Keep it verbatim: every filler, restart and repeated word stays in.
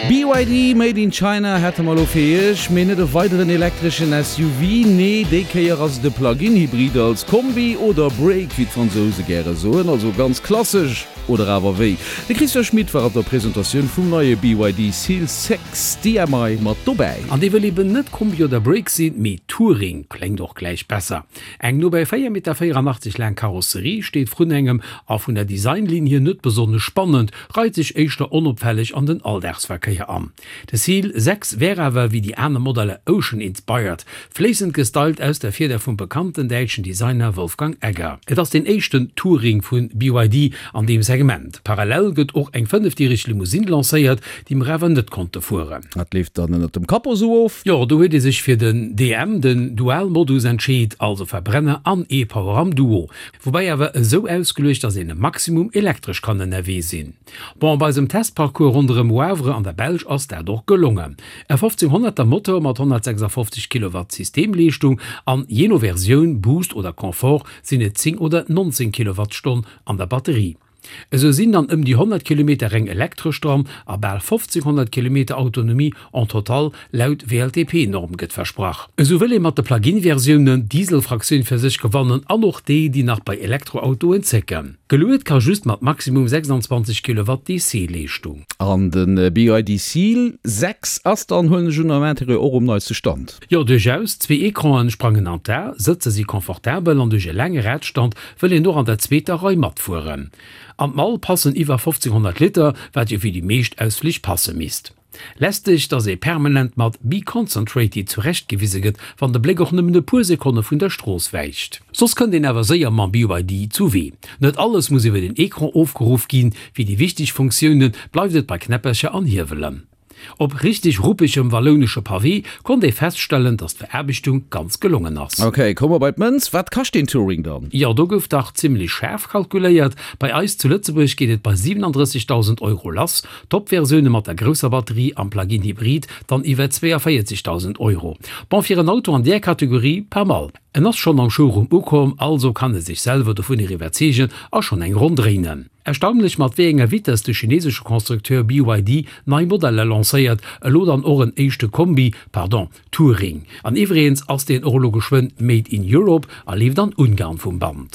B Y D Made in China hätte mer lo fir iech, mee net e weideren elektreschen S U V, nee, déi Kéier ass et e Plug-in-Hybrid als Kombi oder Break, wéi d'Fransouse gäre soen, also ganz klassesch, oder awer wéi? De Christian Schmit war op der Presentatioun vum neie B Y D Seal sechs D M I mat dobäi. An dee wëll eben net Kombi oder Break sinn, mee Touring, kléngt och gläich besser. Eng no bei véier Meter véierannachtzeg laang Karosserie steet vrun engem a vun der Designlinn hier net besonnesch spannend, reit sech éischter onopfälleg an den Alldagsverkéier an. De Seal sechs wär awer wéi déi aner Modeller Ocean inspired, fléissend gestylt aus der Fieder vum bekannten däitschen Designer Wolfgang Egger. Et ass den éischten Touring vu B Y D an deem Segment. Parallel gëtt och eng fënnefdiereg Limousine lancéiert, déi mer awer net konnte fueren. Dat leeft dann ënnert dem Capot sou of? Jo, do huet ee sech fir den D M, den Dual-Modus entscheet, also Verbrenner an E-Power am Duo. Woubäi awer esou ausgeluecht, dass een e Maximum elektresch kann ënnerwee sinn. Bon, bei eisem Testparcours ronderëm Wavre an der Belsch ass dat och gelongen. E fofzénghonnerter Motor mat honnertsechsafofzeg Kilowatt Systemleeschtung an jee no Versioun, Boost oder Confort, sinn et zéng oder nonzéng Kilowattstonn an der Batterie. Esou sinn dann ëm déi honnert Kilometer reng elektresch dran a bal fofzénghonnert Kilometer Autonomie en total laut W L T P-Norm gëtt versprach. Esou wëll ee mat de Plug-in-Versiounen d'Diesel-Fraktioun fir sech gewannen an och déi, déi nach bei Elektroautoen zécken. Geluet ka just mat maximum sechsanzwanzeg Kilowatt D C-Leeschtung. An de B Y D Seal sechs ass dann, huelen ech un, am Interieur och um neiste Stand? Jo, duerchaus. Zwee Ecranen sprangen an d'A, Sëtzer si confortabel an duerch e laange Radstand wëll een och an der zweeter Rei matfueren. An d'Mall passen iwwer fofzénghonnert Liter, wat jo fir déi meescht Ausflich passe misst. Lästeg, dass ee permanent mat Be concentrated zurechtgewise gëtt, wann de Bléck och nëmmen e puer Sekonne vun der Strooss wäicht. Soss kënnt een awer séier mam B Y D zu Wee. Net alles muss iwwer den Ecran ofgeruff ginn, fir déi wichteg Funktioune bleift et bei Knäppercher an Hiewelen. Op richteg ruppegem wallounesche Pavé konnt ee feststellen, dass d'Veraarbechtung ganz gelongen ass. Ok, komme mer bei d'Mënz. Wat kascht deen Touring dann? Jo, do gouf dach zimmlech schaarf kalkuléiert. Bei eis zu Lëtzebuerg geet et bei siwenandrëssegdausend Euro lass, Top-Versioune mat der grousser Batterie am Plug-in Hybrid dann iwwer zweeënvéierzegdausend Euro. Bon, fir en Auto an där Kategorie pas mal. En ass schonn am Showroom ukomm, also kann e sech selwer dovunner iwwerzeegen a schonn eng Ronn dréinen. Erstaunlech mat wéi enger Vitess de chinesesche Constructeur B Y D nei Modeller lancéiert, elo dann och en éischte Kombi, pardon, Touring. An iwwregens ass deen och elo geschwënn Made in Europe a leeft an Ungarn vum Band.